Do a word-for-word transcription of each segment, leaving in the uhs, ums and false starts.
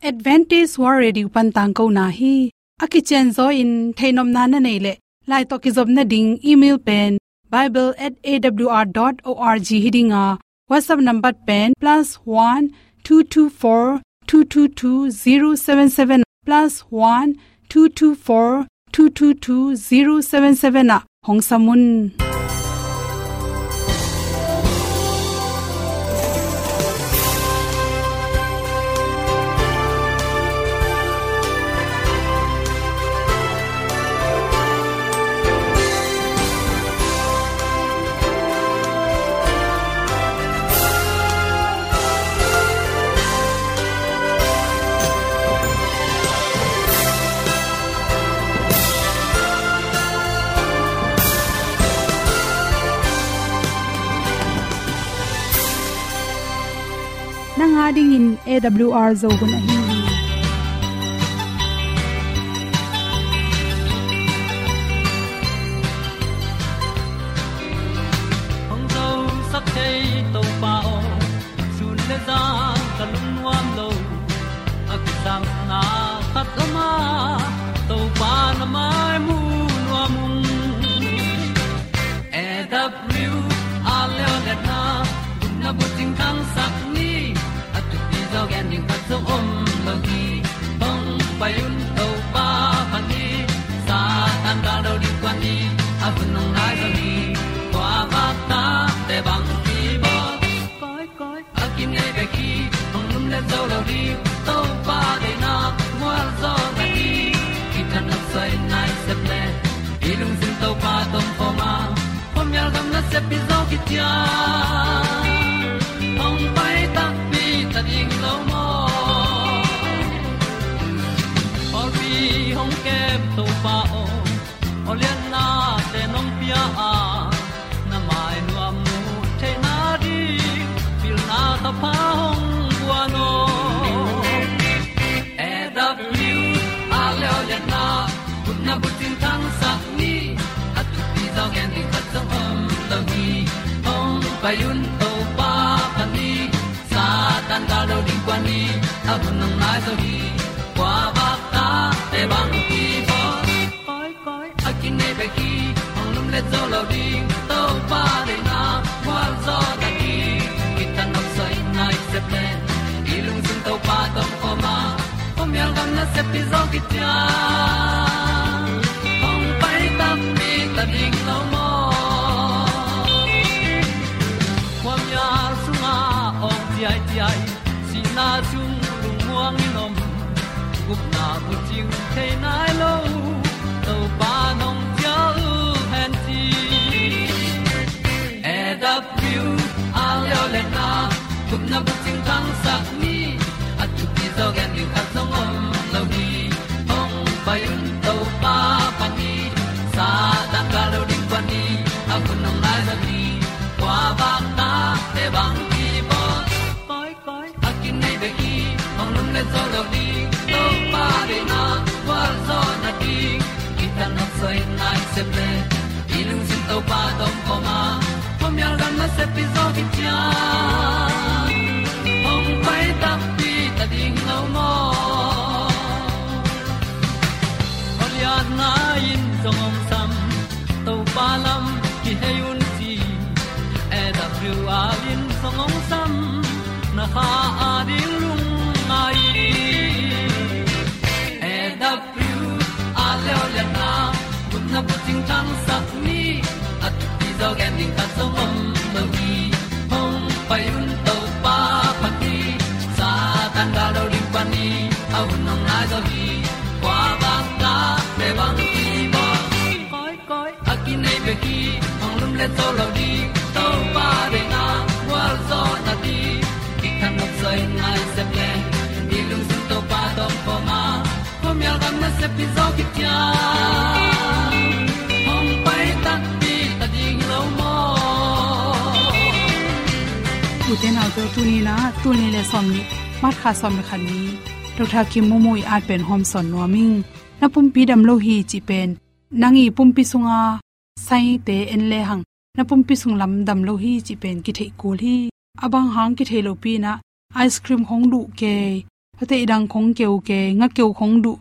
Adventist World Radio pan tangkona hi. A kicianzaw in theihnopna na neih leh, lai tawh kizopna ding email pen bible at A W R dot org hi ding a, WhatsApp number pen plus one two two four two two two zero seven seven, plus one two two four two two two zero seven seven ah hong sam un. Nang a dingin A W R Zo hun ahi hi. Hong zosak thei Topa aw, sun le zan ka lungnuam lo. A kisapna khat om a, Topa na mai mu nuam ung. A W R Zo hun a, gupna bucing thangsak ni. A thupi zaw gen ding khat zong om lo hi. Hong pai un Topa pha ni. Satan gal do ding kua ni. A hun hong nai zaw hi. Kua vak ta te bang ki bawl. Koi, koi. A kinei bek hi, hong lumlet zo lo ding. Topa deihna mual zaw na hi. Kithanuam soi nai sep le, i lungsim Topa tawh om khawm a, khuamial gam nasep hi zaw kician. Hong pai takpi ta ding lo maw? Pawlpi hong kem Topa aw, awliatnate nong pia a, na mai nuam muh theihna ding pilna thapha hong guan aw. A W R Zo hun a, gupna bucing thangsak ni. A thupi zaw gen ding khat zong om lo hi. Hong pai un Topa pha ni. Satan gal do ding kua ni. A hun hong nai zaw hi. Kua vak ta te bang ki bawl. Koi, koi. A kinei bek hi, hong lumlet zo lo ding. Topa deihna mual zaw na hi. Kithanuam soi nai sep le, i lungsim Topa tawh om khawm a, khuamial gam nasep hi zaw kician. Hong pai takpi ta ding lo maw? Khuamial sungah awng ciaiciai, sihna sung lungmuang in om. Gupna bucing thei nai lo, Topa nong cial hen ci. A W R Zo hun a, gupna bucing thangsak ni. A thupi zaw gen ding khat zong om lo hi. Hong pai un Topa pha ni. Satan gal do ding kua ni. A hun hong nai zaw hi. Kua vak ta te bang ki bawl. Koi, koi. A kinei bek hi, hong lumlet zo lo ding. Topa deihna gualzawhna ding, kithanuam soi nai sep le, i lungsim Topa tawh om khawm a, khuamial gam nasep hi zaw kician. Hong pai takpi ta ding lo maw? Awliatna in zong hong sam, Topa lam kihei un ci. A W R in zong hong sam, na kha a ding lungngai. A W R Zo hun a, gupna bucing thangsak ni. A thupi zaw gen ding khat zong om lo hi. Hong pai un Topa pha ni. Satan gal do ding pha ni. A hun hong nai zaw hi. Kua vak ta te bang ki bawl. Koi, koi. A kinei bek hi, hong lumlet zo lo ding. Topa deihna gualzawhna ding, kithanuam soi nai sep le, i lungsim Topa tawh om khawm a, khuamial gam nasep hi zaw kician. Hong pai takpi ta ding lo maw? Ute naute, tuni in ah, tul nih le sawmnih, March kha sawm le khat ni, Doctor Kim Mung Mung ii at pen hawmsawn nuam ing. Na pumpi dam lo hi cih pen, nang ii pumpi sunga saite en lehang, na pumpi sung lam dam lo hi cih pen kitheih kul hi. A bang hang kitheih lopi in ah, ice cream hong duh kei, Tua te i dang khong keu kei, nga keu khong duh,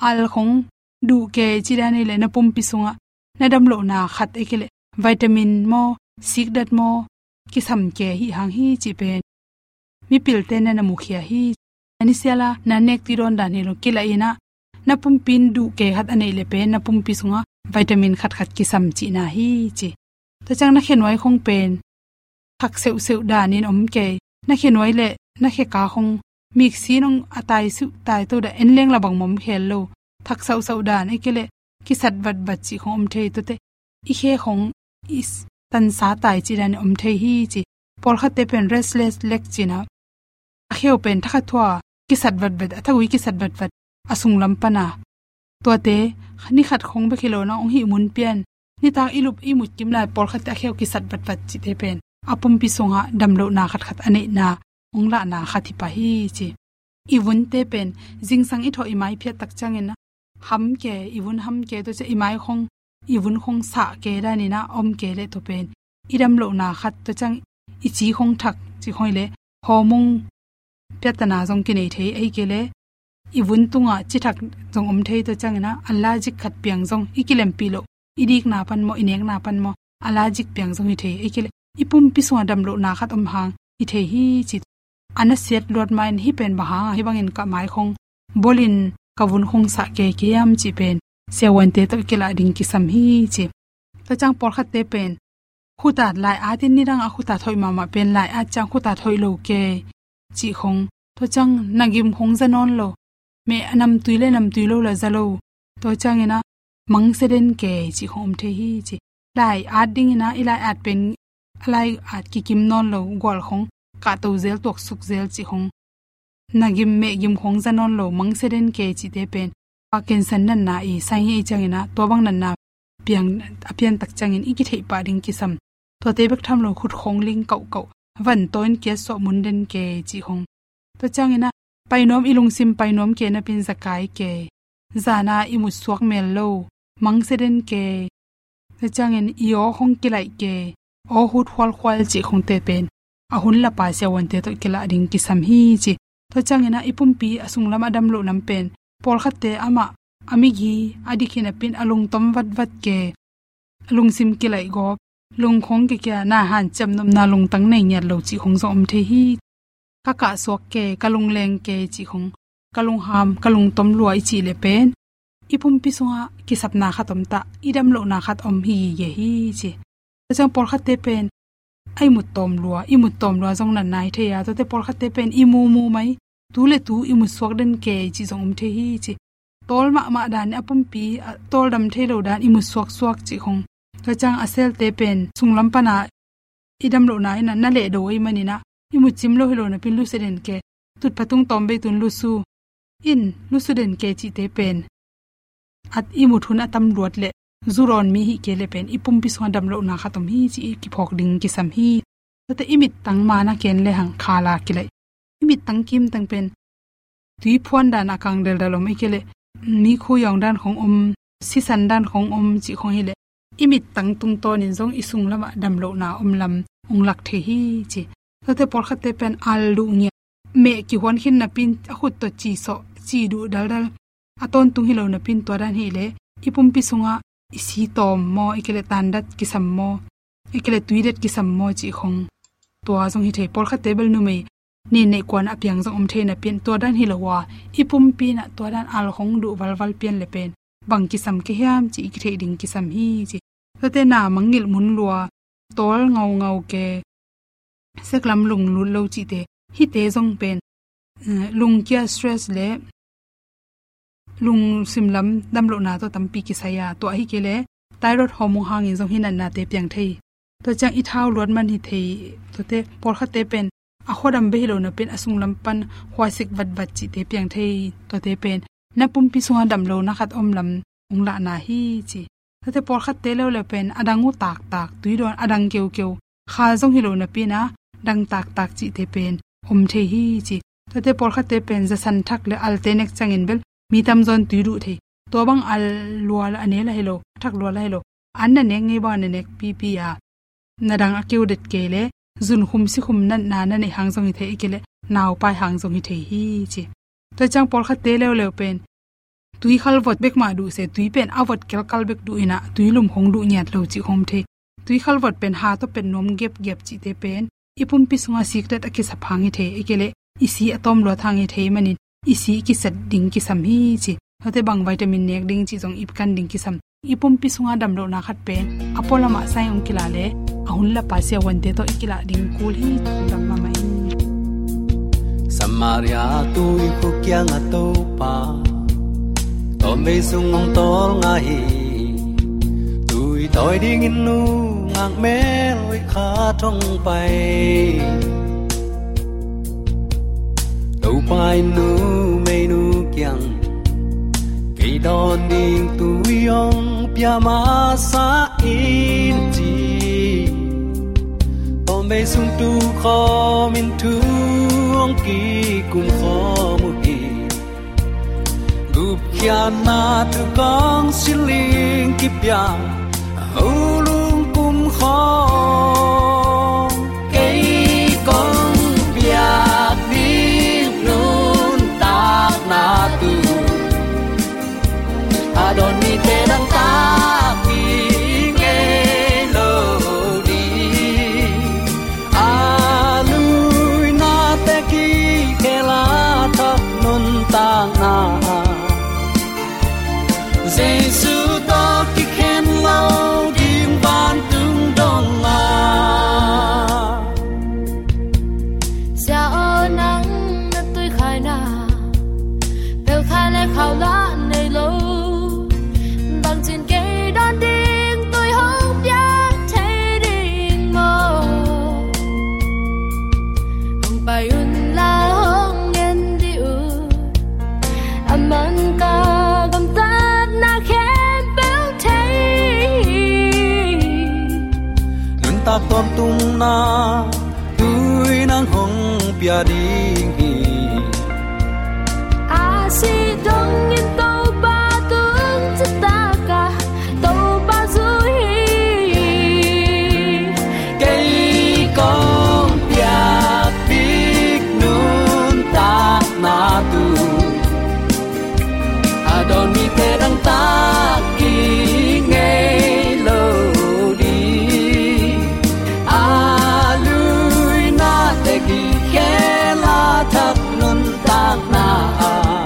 al khong duh kei ci dan hi leh na pumpi sungah na damlohna khat ahih kei leh vitamin maw, sikdat maw, kisam kei hi hang hi cih pen mipilte na na mukhia hi. Na ni siala na nek tui dawn dan hi lo, kilah in ah na pumpi in duh kei khat a neih leh pen na pumpi sungah vitamin khatkhat kisam cihna hi ci. Tua ciang na khenuai khong pen thak seuhseuh danin om kei. Na khenuai leh na kheka khong miksi nong a tai siuh tai to dah, en leng la bang mah om khel lo. Thak sauhsauh dan ahih kei leh kisat vatvat cih khong om thei. Tua te i khe khong i s-, tansa tai cih dan om thei hi ci. Pawlkhatte pen restless leg ci-in ah a kheu pen thakhat thua kisat vatvat, a thagui kisat vatvat, a sunglam pan a. Tuate ni khat khong bek hi lo-in ah hong hih mun pian, nitak i lup i mut kim lai pawlkhatte a kheu kisat vatvat cihte pen a pumpi sungah damlohna khatkhat a neihna hong lahna khat hi pah hi ci. I vunte pen zingsang i thawh i mai phiat tak ciangin ah ham kei, i vun ham kei, tua ciang i mai khong, i vun khong sah kei danin ah om kei leh tua pen i damlohna khat, tua ciang i ci khong thak cih khong hi leh hormone piatana zong kinei thei, ahih kei leh i vun tungah ci thak zong om thei. Tua ciangin ah allergic khat piang zong, i kilempih loh, i dikna pan maw, i nekna pan maw, allergic piang zong hi thei, ahih kei leh i pumpi sungah damlohna khat om hang hi thei hi ci. A na siat luat ma-in hih pen bang hang a hih bangin ka mai khong bawlin ka vun khong sah kei kei hiam cih pen siavuante tawh kilah ding kisam hi ci. Tua ciang pawlkhatte pen khutat lai atin, nidang a khutat hoih mahmah pen lai at ciang khutat hoih lo kei cih khong. Tua ciang na gim khong za nawn lo, meh a namtui leh namtui lo la za lo. Tua ciangin ah mangsia den kei cih khong om thei hi ci. Lai at dingin ah i lai at pen a lai at kikim nawn lo, gual khong kahto zel, tuaksuk zel cih khong, na gim meh gim khong za nawn lo, mangsia den kei cihte pen Parkinson natna i sign hi ciangin ah tua bang natna piang, a pian tak ciangin i kitheih pah ding kisam. Tuate bek tham lo, khut khong ling kauhkauh, van tawh in kiat suah mun den kei cih khong. Tua ciangin ah pai nuam, i lungsim pai nuam kei napi-in za kai kei, zan a i mut suak mel lo, mangsia den kei. Tua ciangin i aw khong kilaih kei, aw hut khualkhual cih khongte pen a hun lapa siavuante tawh kilah ding kisam hi ci. Tua ciangin ah i pumpi a sunglam a damloh lam pen pawlkhatte amah a migi a dik hi napi-in a lungtom vatvat kei, a lungsim kilaih gawp, lung khong kikia, na hanciam nopna lungtang nei ngiat lo cih khong zong om thei hi. Ka kah suak kei, ka lungleng kei cih khong, ka lungham, ka lungtom lua i cih leh pen i pumpi sungah kisapna khat om ta, i damlohna khat om hi gige hi ci. Tua ciang pawlkhatte pen a i mut tawm lua, i mut tawm lua zong natna hi thei a, tuate pawlkhatte pen i mu mu mai, tu leh tu i mut suak den kei cih zong om thei hi ci. Tawl mahmah dan, a pumpi a tawldam thei lo dan, i mut suaksuak cih khong. Tua ciang a selte pen sunglam pan a i damlohna in ah na lehdo ahih manin ah i mut cim lo hi lo napi-in lusu den kei, tutphah tung tawm bei tun lusu in, lusu den kei cihte pen at i mut hun a tam luat leh, zu dawn mi hih kei leh pen i pumpi sungah damlohna khat om hi ci i kiphawk ding kisam hi. Tuate i mittang man a ken lehang khala kilaih, i mittang kimtang pen tuiphuan dan a kang deldal om, ahih kei leh mikhu yawng dan khong om, sisan dan khong om cih khong hi leh, i mittang tungtawnin zong i sunglamah damlohna om lam hong lak thei hi ci. Tuate pawlkhatte pen al duh ngiat, meh kihuan khin napi-in a khut tawh ci sawh, ci duh daldal, a tawntung hi lo napi-in tua dan hi leh i pumpi sungah i si tawm maw, ahih kei leh tandat kisam maw, ahih kei leh tuidat kisam maw cih khong, tua zong hi thei. Pawlkhatte bel numei nin neih kuan a piang zong om thei napi-in tua dan hi lo a, i pumpi in ah tua dan al khong duh valval pian leh pen bang kisam kei hiam cih i kitheih ding kisam hi ci. Tuate na mangngilh mun lua, tawl ngaungau kei, seklam lunglut lo cihte, hihte zong pen, eh, lungkia stress leh lungsim lam damlohna tawh tampi kisai a, tua ahih kei leh thyroid hormone hangin zong hih natnate piang thei. Tua ciang i thau luat man hi thei. Tuate pawlkhatte pen a khuadam bek hi lo napi-in a sunglam pan khuasik vatvat cihte piang thei. Tuate pen na pumpi sungah damlohna khat om lam hong lahna hi ci. Tuate pawlkhatte leuleu pen a dang uh taktak, tui dawn a dang keukeu, kha zong hi lo napi-in a dang taktak cihte pen om thei hi ci. Tuate pawlkhatte pen zasan thak leh alte nek ciangin bel mi tamzaw in tui duh thei. Tua bang al lua a ne lah hi lo, a thak lua lah hi lo, an na nek ngei bang na nek pipi a, na dang a keu det kei leh zunkhum sikhum natna na neih hang zong hi thei, ahih kei leh naupai hang zong hi thei hi ci. Tua ciang pawlkhatte leuleu pen tui khalvot bek mah duh se, tui pen a vot kelkal bek duh inah, tui lum khong duh ngiat lo cih khong om thei. Tui khalvot pen ha tawh pet nuam gepgep cihte pen i pumpi sungah siklet a kisap hang hi thei, i kei leh i si a tawm luat hang hi thei manin i si i kiset ding kisam hi ci. Tuate bang vitamin nek ding cih zong i kan ding kisam. I pumpi sungah damlohna khat pen a pualamah sai hong kilah leh a hun lapa siavuante tawh i kilah ding kul hi. Dam mahmah in. Samaria tui khuk kiangah Topa tawmvei sung hong tawlnga hi. Tui tawi dingin nungak mel hoih khat hong pai. Topa in numeinu kiang kei dawn ding tui hong pia masa in ci. Tawmvei sung tu khawmin thu hong kikum khawm uh hi. Gupkhiatna thu kong siling kipia ho lungkum khawng kei kong piak ding nuntakna tu a dawn mite dangtak i ngei lo ding. A luinate kikhel a thak nuntakna Jesu tawh kikhen lo ding vantung dong a. Sia aw, nang na tuikhaina pelh kha le khau lah nei lo. Bangcin kei dawn ding tui hong piak thei ding maw? Hong pai un la hong ngen dih un. A man ka gamtatna khempeuh thei. Nuntak tawntungna tui nang hong pia ding hi. A sih dongin Topa tung citak a Topa zui hi. Kei kong piak bik nuntakna tu a dawn mite dangtak i ngei lo ding. A luinate kikhel a thak nuntakna ah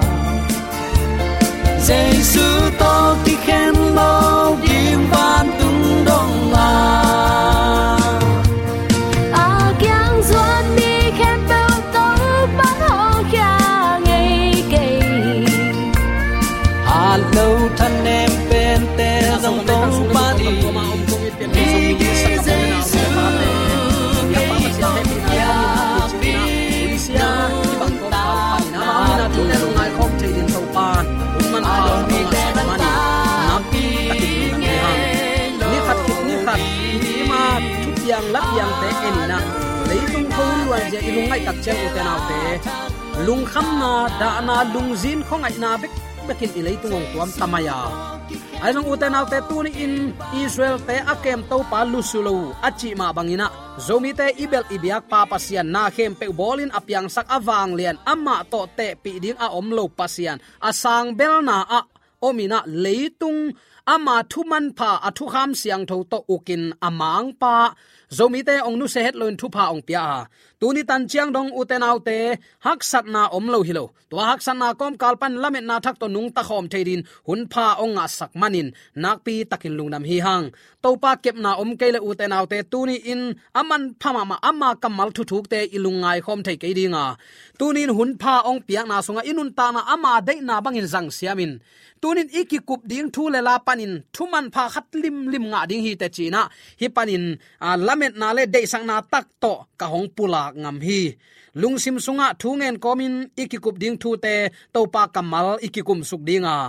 Jesu tawh kikhen lo ding vantung dong a. A kiang zuan mi khempeuh Topa'n hong khia ngei kei. Hat lo thanem pente zong Topa ding. Jesu Ni khat khit ni khat i ma thupiang lapiangte en inah leitung khuahun luanzia i lungngaih tak ciang, ute naute, lungkhamna, dahna, lungzin khuangaihna bekbekin i leitung hong tuam ta mai a. Ahi zong ute naute, tuni-in Israel-te a kem Topa lusu lo a cih mah bangin ah Zomite i belh i biakpa Pasian, na khempeuh bawlin a piangsak, a vanglian, amah tawh tehpih ding a om lo Pasian, a sangbelna ah om inah leitung ama thumanpha, a thukham siangtho tawh ukin a mangpa Zomite hong nusia het loin thupha hong pia a. Tuni tan ciang dong, ute naute, haksatna om lo hi lo. Tua haksatna kawmkal pan lametna thak tawh nungta khawm thei dingin hunpha hong ngahsak manin nakpi takin lungdam hi hang. Topa kepna om kei le, ute naute, tuni-in a manpha mahmah ama kammal thuthukte i lungngai khawm thei kei ding a, tuni-in hunpha hong piakna sungah i nuntakna ama deihna bangin zang siamin, tuni-in i kikup ding thu le la panin thumanpha khat limlim ngah ding hi teh ci-in ah, hih panin, a, lametna le deihsakna tak tawh ka hong pulak ngam hi. Lungsim sungah thu ngen kawmin i kikup ding thute Topa kammal i kikumsuk ding a,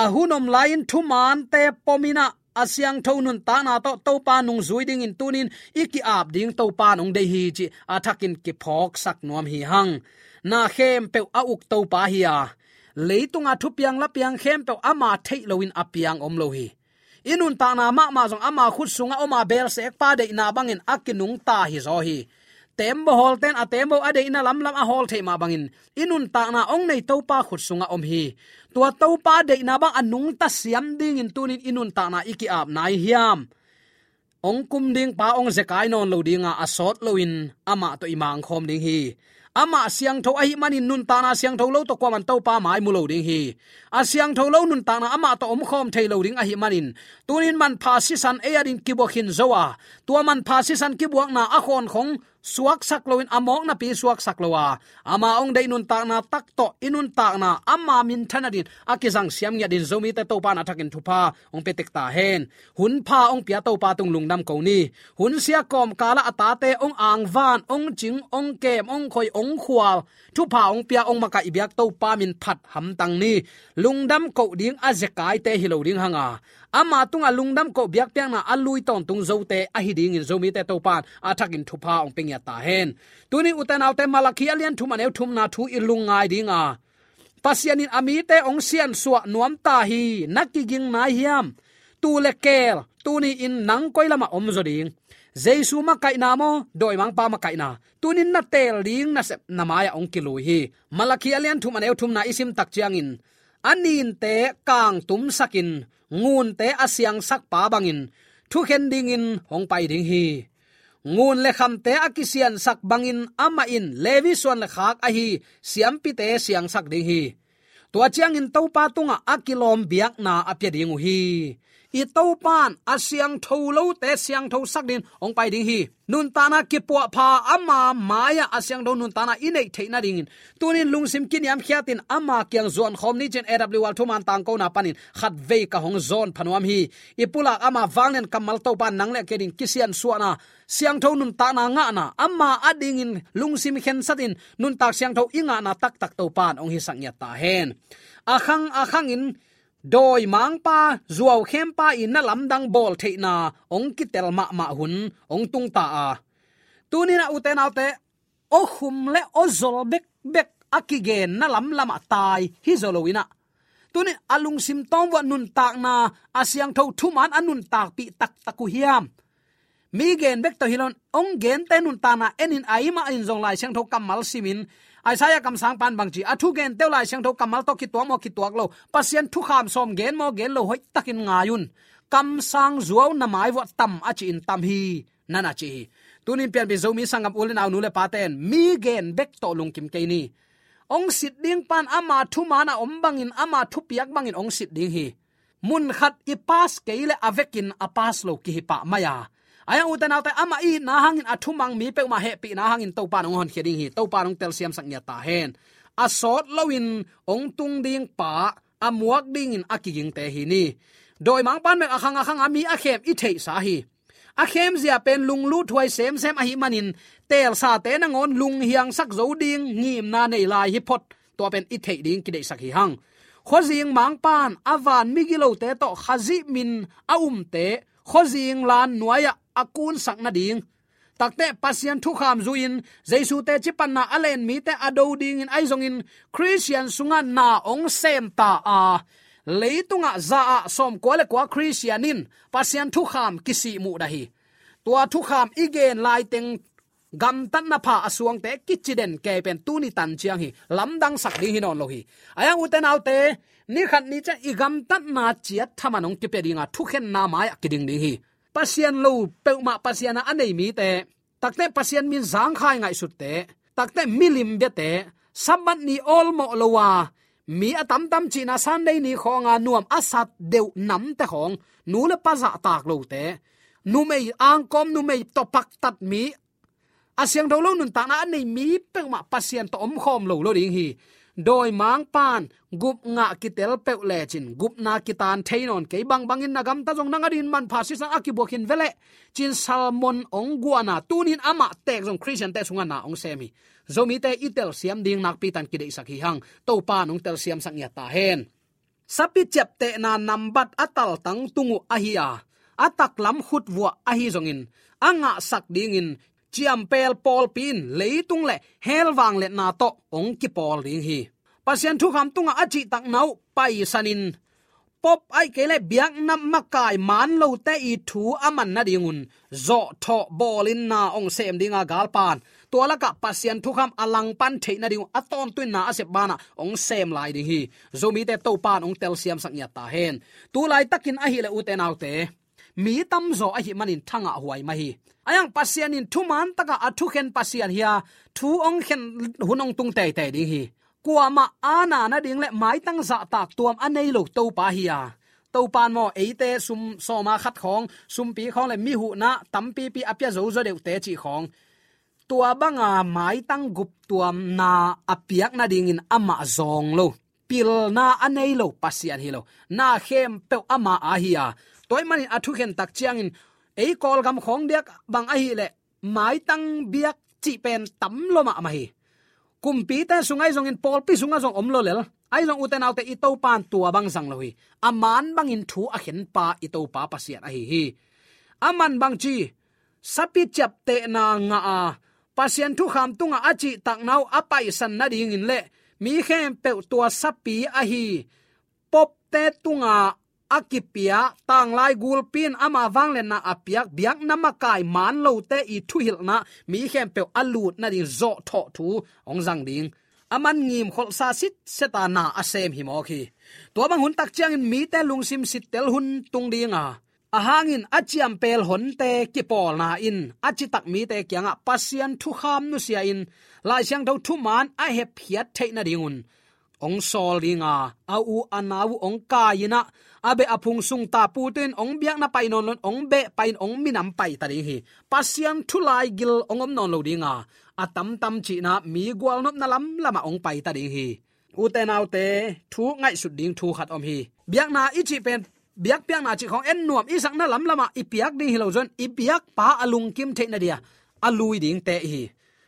a hun om lai-in thumaante pom inah a siangtho nuntakna tawh Topa nungzui dingin tuni-in i ki-ap ding Topa in hong deih hi cih a thakin kiphawksak nuam hi hang. Na khempeuh a uk Topa hi a, leitunga thupiang lapiang khempeuh ama theih loin a piang om lo hi. I nuntakna mahmah zong ama khut sungah om a, belsekpa deihna bangin a kinungta hi zaw hi. tembaw hawlte'n a tembaw a deihna lamlam a hawl theih mah bangin i nuntakna hong nei Topa khut sungah om hi. Tua Topa deihna bang a nungta siam dingin tunin i nuntakna i ki-ap nai hiam? Hong kum ding pa hong zekai nawn lo dinga, a sawt loin amah tawh i mangkhawm ding hi. Amah siangtho ahih manin nuntakna siangtho lo tawh kuaman Topa mai mu lo ding hi. A siangtho lo nuntakna amah tawh omkhawm thei lo ding ahih manin tunin manpha sisan ei adin kibuak khin zo a, tua manpha sisan kibuakna a khawnkhong suaksak loin a mawk napi suaksak lo a, ama hong deih nuntakna tak tawh i nuntakna ama minthan adin a kizang siam ngiat dingin Zomite Topa in a thakin thupha hong pia tek ta hen. Hun pha hong pia Topa tung lungdam ko ni. Hun sia kawmkalah a tate hong angvan, hong cing, hong kem, hong khoi, hong khual, thupha hong pia, hong makaih biak Topa min phat hamtang ni. Lungdam koh ding a zekaite hi lo ding hanga, ama tungah lungdam koh biakpiakna a lui tawntung zote ahi dingin Zomite Topa in a thakin thupha hong pia ngiat ta hen. Tunin ute naute, Malakhi a lian thum a neu thumna thu i lungngai dinga, Pasian in a mite hong siansuah nuam ta hi, na kiging nai hiam? Tuu le keel, tuni-in nang koi lamah om zaw ding? Jesu makaihna maw, dawimangpa makaihna? Tunin na teel ding nasep na mai-ah hong kilui hi. Malakhi a lian thum a neu thumna i sim tak ciangin, a ninte kangtumsakin ngunte a siangsakpa bangin thukhen dingin hong pai ding hi. Ngun le khamte a kisiansak bangin amah in Levi suan le khak ahi siampite siangsak ding hi. Tua ciangin Topa tungah a kilawm biakna a pia ding uh hi. I Topa in a siangtho lote siangthosak dingin hong pai ding hi. Nuntakna kipuahpha ama mai-ah a siangtho nuntakna i neih theih nadingin tunin lungsim kiniamkhiatin ama kiang zuankhawm ni, ci-in A W R thuman tangkona panin khatvei ka hong zawn pha nuam hi. I pulak ama vanglian kammal Topa in nang le kei adin kisiansuahna, siangtho nuntakna ngahna, ama adingin lungsim khensatin nuntak siangtho i ngahna taktak Topa in hong hisak ngiat ta hen. A khang a khangin dawimangpa, zuaukhempa i na lamdang bawl theihna hong kitel mahmah hun hong tung ta a, tunin a ute naute, aw khum le aw zol bekbek a kigenna lamlamah tai hi zaw loin ah, tunin a lungsim tawm vuah nuntakna a siangtho thuman a nuntakpih taktak uh hiam? Mi gen bek tawh hi loin, hong gente nuntakna enin, a i mah in zong Lai Siangtho kammal simin, Isaiah kamsangpa in bang ci, a thugente uh Lai Siangtho kammal tawh kituak maw kituak lo, Pasian thukham sawm gen maw gen lo, hoihtakin ngai un. Kamsang zuau na mai vuah tam a ci-in tam hi, na na ci hi. Tunin pianpih Zomi sanggam u le nau, nu le pate'n mi gen bek tawh lungkim kei ni. Hong sit ding pan ama thuman a om bangin, ama thupiak bangin hong sit ding hi. Mun khat i pass kei leh a vekin a pass lo kihi pah mai a. Ahi hang ute naute, amah i itna hangin a thumang mi peuhmah hehpihna hangin Topa in hong honkhia ding hi. Topa in hong telsiamsak ngiat ta hen. A sawt loin hong tung ding pa a muak dingin a kigingte hi ni. Dawimangpa'n bek a khang a khang a mi a khem i theihsa hi. A khemzia pen lunglut huai semsem ahih manin teelsate nangawn lunghiangsak zo ding ngimna nei lai hi phot. Tua pen i theih ding kideihsak hi hang. Khuazing mangpa'n a van migilote tawh Khazih min a umte khuazing lan nuai-ah a kunsak nading, takte Pasian thukham zuiin Jesu teci panna a len mite a do dingin ahi zongin Khristian sungah na hong sem ta a, leitungah za ah sawmkua le kua Khristian in Pasian thukham kisih muhdah hi. Tua thukham i gen laiteng gamtatna pha a suangte kici den kei pen tuni tan ciang hi, lamdangsak ding hi nawn lo hi. Ahi hang ute naute, ni khat ni ciang i gamtatna ciat thaman hong kipia dinga thukhenna mai-ah kiding ding hi. Pasian lo peuhmah Pasian a a nei mite, takte Pasian min zangkhai ngaihsutte, takte milim biate, Sabbath ni awlmawh lo a mi a tamtam cihna Sunday ni khawnga nuam a sat deuh namte khawng, nu le pa zahtak lote, numei angkawm, numei tawh paktat mi, a siangtho lo nuntakna a nei mi peuhmah Pasian tawh omkhawm lo lo ding hi. Dawimangpa'n gup ngah kitel peuh lecin gupna kitan thei nawn kei, bangbangin na gamta zong nang adingin manpha sisan a kibuak khin veleh, ci-in sermon hong guahna, tunin amah teek zong Khristiante sungah na hong sem hi. Zomite i telsiam ding nakpi tan kideihsak hi hang. Topa'n hong telsiamsak ngiat ta hen. Sapi ciaptehna nambat a taltang tung uh ahi a, a taklam khutvuah ahi zongin a ngahsak dingin ciampel pawlpi in leitung le hell vangliatna tawh hong kipawl ding hi. Pasian thukham tungah a cihtakna uh paisanin, Pope ahih kei leh biakna makai man lote i thu a man nadingun zawhthawh bawlin na hong sem dinga galpa'n tua lakah Pasian thukham a langpan theih nading uh a tawntung in na a sep banah hong sem lai ding hi. Zomite Topa'n hong telsiamsak ngiat ta hen. Tu laitakin ahih leh ute naute, mi tamzaw ahih manin thangah huai mah hi. Ahi hang Pasian in thuman takah a thukhen Pasian hi a, thu hong khen hun hong tung teitei ding hi. Kuamah aana nading le maitang zahtak tuam a nei lo Topa hi a, Topa'n maw eite sum sawma khat khawng, sumpi khawng le mi huhna tampipi a pia zozo deuhte cih khawng, tua banga maitang guptuamna a piak nadingin amah zawng lo, pilna a nei lo Pasian hi lo. Na khempeuh ama a hi a, tua ahih manin a thukhen tak ciangin ei Kawlgam khawng diak bang ahih leh maitang biak cih pen tam lo mahmah hi. Kumpite sung ahi zongin pawlpi sungah zong om lo lel. Ahi zong ute naute, i Topa'n tua bang zang lo hi. A man bangin thu a khenpa i Topa Pasian ahi hi. Aman bangci, sapi ciaptehna ngah a, Pasian thukham tungah a cihtakna uh a paisan nadingin le mi khempeuh tua sapi ahi popte tungah a kipia, tanglai gulpi in ama vangliatna a piak, biakna makai man lote i thuhilhna mi khempeuh a lut nading zawhthawh thu hong zang ding. Aman ngimkholhsa sitset a na a sem hi mawk hi. Tua bang hun tak ciangin mite lungsim sittel hun tung ding a, a hangin a ciampel honte kipawlna in a citak mite kiangah Pasian thukham nusia in Lai Siangtho thuman a hepkhiat theih nadingun hong sawl ding a, a u a nau uh hong kai in ah, a beh a phung sung tapute in hong biakna pai nawn lo in hong beh pai in hong minam pai ta ding hi. Pasian thu laigil hong om nawn lo ding a, a tamtam cihna mi gualnopna lamlamah hong pai ta ding hi. Ute naute, thu ngaihsut ding thu khat om hi. Biakna i cih pen, biakpiakna cih khawng en nuam i sakna lamlamah i piak ding hi lo zong, i biakpa a lungkim theih nadia a lui dingte hi.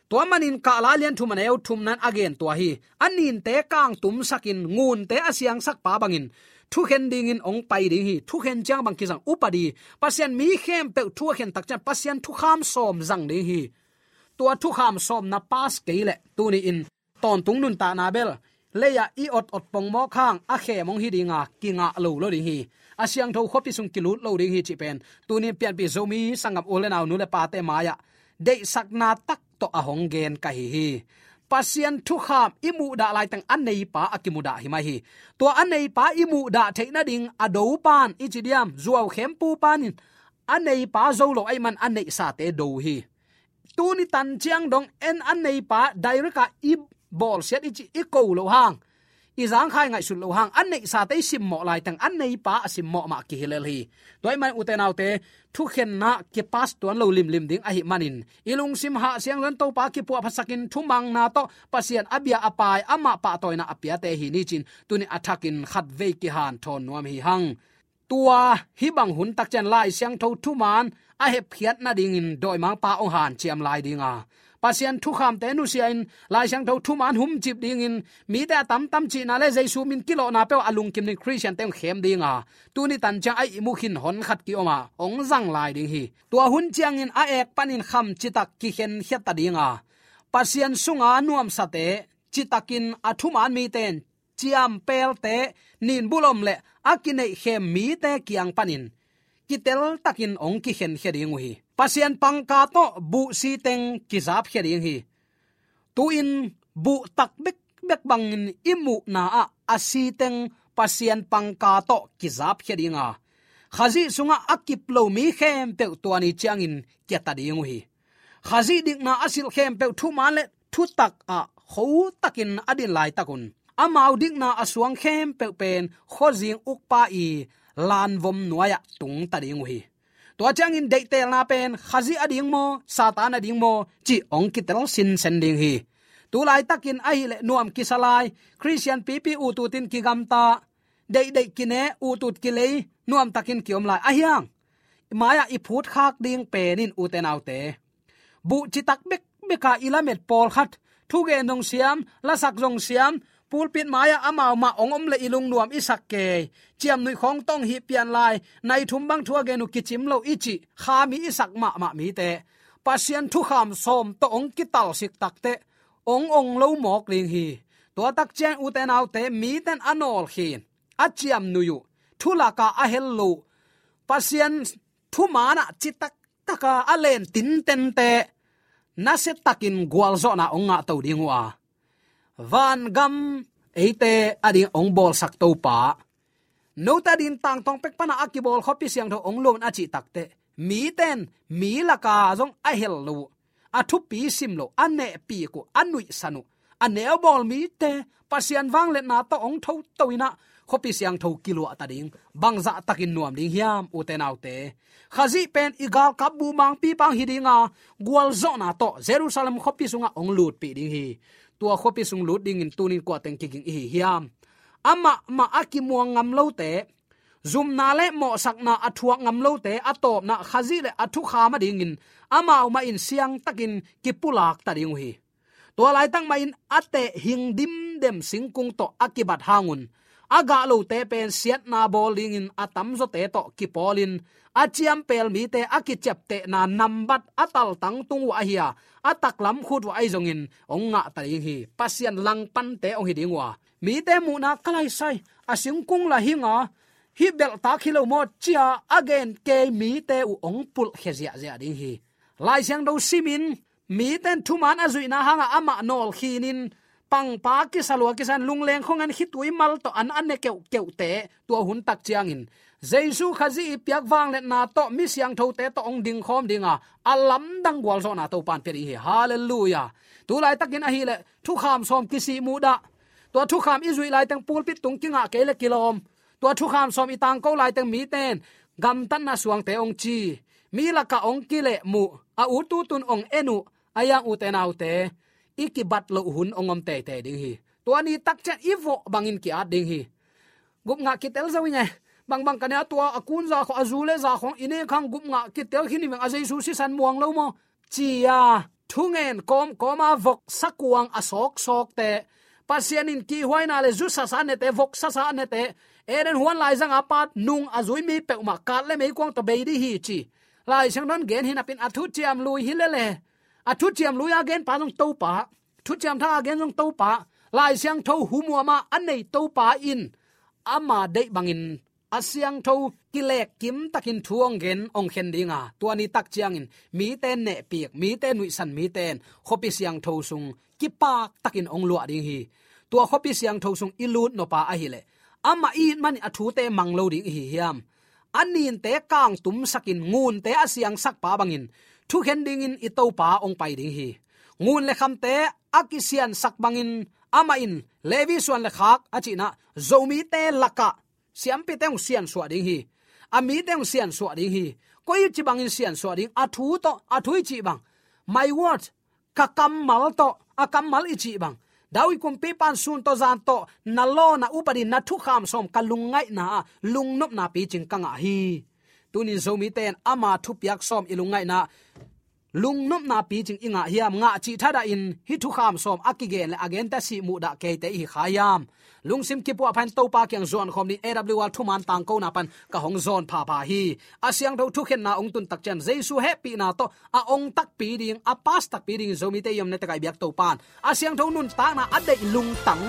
Tua manin Kahla lian thum a neu thumna in a gen tua hi. A ninte kangtumsakin ngunte a siangsakpa bangin thukhen dingin hong pai ding hi. Thukhen ciang bang kizang upadi, Pasian mi khempeuh thu a khen tak ciang Pasian thukham sawm zang ding hi. Tua thukham sawmna pass kei leh tuni-in tawntung nuntakna bel lei-ah i ot-ot pongmawk hang a khem hong hi ding a, kingah lo lo ding hi. A siangtho khuapi sung kilut lo ding hi cih pen tuni-in pianpih Zomi sanggam u le nau, nu le pate mai-ah deihsakna tak tawh a hong gen ka hi hi. Pasian thukham i muhdah laiteng a neipa a kimudah hi mai hi. Tua a neipa i muhdah theih nading a dopa'n i ci diam, zuau khempu pa'n in a neipa zo lo ahih man a neihsate do hi. Tuni tan ciang dong en a neipa direct a i bawlsiat i ci i ko lo hang, i zangkhai ngaihsut lo hang, a neihsate i simmawh laiteng a neipa a simmawh mah kihilel hi. Tua ahih man ute naute, thukhenna kipas tuan lo limlim ding ahih manin i lungsim hahsiang zong Topa kipuahphatsakin thumangna tawh Pasian a bia a pai, amah pahtawina a piate hi ni cin tuni a thakin khatvei kihanthawn nuam hi hang. Tua hih bang hun tak ciang Lai Siangtho thuman a hepkhiat nadingin dawimangpa hong hanciam lai ding a, Pasian thukhamte nusia in Lai Siangtho thuman humcip dingin mite a tamtam cihna le Jesu min kilawhna peuh a lungkim ding Khristiante hong khem ding a, tuni tan ciang a ihmu khin hon khat ki-om a hong zang lai ding hi. Tua hun ciangin a ek panin kham citak kikhenkhia ta ding a, Pasian sunga nuamsate, citakin a thuman mite in ciampelte, ninbulom le a kineihkhem mite kiang panin kiteltakin hong kikhenkhia ding uh hi. Pasian pangka tawh buh siteng kizapkhia ding hi. Tu-in buh tak bekbek bangin i muhna ah a siteng Pasian pangka tawh kizapkhia ding a, Khazih sungah a kip lo mi khempeuh tua ni ciangin kia ta ding uh hi. Khazih dikna a silh khempeuh thuman le thutak ah khotakin a din laitakun amau dikna a suang khempeuh pen khuazing ukpa i lanvom nuai-ah tung ta ding uh hi. Tua ciangin deihtelna pen Khazih a ding maw, Satan a ding maw cih hong kitel sinsen ding hi. Tu laitakin ahih leh nuam kisa lai, Khristian pipi utut in kigamta, deihdeih kine, utut kilei, nuamtakin ki-om lai. Ahi hang mai-ah i phutkhak ding pen in ute naute, buh citak bekbek a i lamet pawlkhat, thugen zong siam, lasak zong siam, pulpit mai-ah amau mah hong om leh i lungnuam i sak kei, ciamnuih khawng tawh hih pian lai, nai thum bang thu a gen uh kicim lo i cih kha mi i sak mahmah mite, Pasian thukham sawm tawh hong kitalsik takteh hong ong lo mawk ding hi. Tua tak ciang ute naute, mite in a nawlkhin, a ciamnuih uh, thulak a a hel lo, Pasian thuman ah citak taka a len tintente nasia takin gualzawhna hong ngah to ding uh a, vangam eite ading hong bawlsak Topa, note ading tangtawng pek pana a kibawl khuapi siangtho hong luah un a cih takteh, mite in mi laka zong a hel lo uh, a thupi sim lo uh, a nehpik uh, a nuihsan uh, a neubawl mite, Pasian vangliatna tawh hong thoto in ah khuapi siangtho kiluahta ding, bangzah takin nuam ding hiam, ute naute? Khazih pen i galkap buhmangpipa hong hi ding a, gualzawhna tawh Jerusalem khuapi sungah hong lutpih ding hi. Tua khuapi sung lut dingin tuni-in kua teng kiging i hi hiam? Amah mah a kimuang ngam lote, zumna le mawhsakna a thuak ngam lote, a tawpna Khazih le a thukham adingin amau mah in siangtakin kipulakta ding uh hi. Tua laitak mah in a teh hing dimdem singkung tawh a kibat hangun, a gah lote pen siatna bawl dingin a tamzawte tawh kipawlin, a ciampel mite a kiciaptehna nambat a taltang tung uh ahi a, a taklam khut uh ahi zongin hong ngahta ding hi. Pasian langpante hong hi ding uh a, mite muhna ka laisai, a singkung lah hing a, hih belhtak hi lo maw ci-a a gen kei mite uh hong pulhkhia ziahziah ding hi. Lai Siangtho simin, mite in thuman a zuihna hangah amah nawlkhinin, pangpa kisa lua kisa in, lungleng khong in khitui mal tawh an a ne keuhkeuhte, tua hun tak ciangin Jesu Khazih i piak vangliatna tawh mi siangthote tawh hong dingkhawm ding a, a lamdang gualzawhna Topa in pia ding hi. Halleluiah. Tu laitakin ahih leh thukham sawm kisih muhdah. Tua thukham i zuih laiteng pulpit tung kingah kei leh kilawm. Tua thukham sawm i tangko laiteng mite in gamtatna suangte hong ci, mi lakah hong kilehmuh, a ututun hong en uh, a yang, ute naute, i kibat loh hun hong om teitei ding hi. Tua ni tak ciang i vawh bangin ki-at ding hi. Gupngah kitel zo ing e. Bangbang ka ne a, tua a kun za khawng, a zu le za khawng i nek hang gupngah kitel khin hi veng, a Jesu sisan muang lo maw, ci-a thungen kawmkawma voksa kuang a sawksawkte, Pasian in kihhuaina le zu sasa a nete, voksa sa a nete, Eden huan laizanga pat nung a zui mi peuhmah kat le meikuang tawh bei ding hi ci Lai Siangtho in gen hi napi-in, a thuciam lui hi lele, a thuciam lui-a genpa zong Topa, thuciam tha-a gen zong Topa, Lai Siangtho humuama a nei Topa in ama deih bangin a siangtho kilekkim takin thu hong gen, hong khen ding a, tua ni tak ciangin mite nehpik, mite nuihsan mite in khuapi siangtho sung kipak takin hong luah ding hi. Tua khuapi siangtho sung i lut nop a ahih leh, amah i it manin a thute mang lo ding i hi hiam? A ninte kangtumsakin, ngunte a siangsakpa bangin thukhen dingin i Topa hong pai ding hi. Ngun le khamte a kisiansak bangin amah in Levi suan le khak a cihna Zomite lakah siampite hong siansuah ding hi. A mite hong siansuah ding hi. Koi ci bangin siansuah ding? A thu tawh, a thu i cih bang, my word, ka kammal tawh, a kammal i cih bang, David kumpipa in sun tawh zan tawh na law, na upadi, na thukham sawm ka lungngaihna ah lungnopna picing ka ngah hi. Tunin Zomite in ama thupiak sawm i lungngaihna lungnopna picing i ngah hiam? Ngah cih thadahin hih thukham sawm a kigen le a gente sih muhdah keite i hi kha hiam? Lungsim kipuahpha in Topa kiang zuankhawm ding, A W R thuman tangkona pan ka hong zawn phapha hi. A siangtho thukhenna hong tun tak ciang Jesu hehpihna tawh a hong takpi ding, a pass takpi dingin Zomite i omna tekah i biak Topa in a siangtho nuntakna a deih lungtang,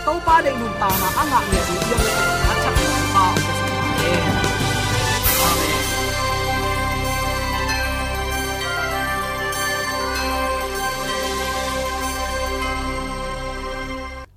Topa deih nuntakna a ngah ngei ding hiam le a thak ding pa hong pe sung ta hen. Amen.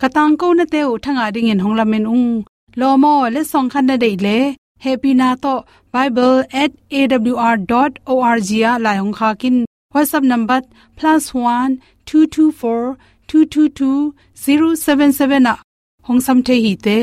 Ka tangkonate uh thangah dingin hong lamen ung. Lawm aw, letsong khat na deih leh, hehpihna tawh bible at A W R dot O R G ah lai hong khak in. WhatsApp number plus one two two four two two two zero seven seven ah hong sam thei hi te.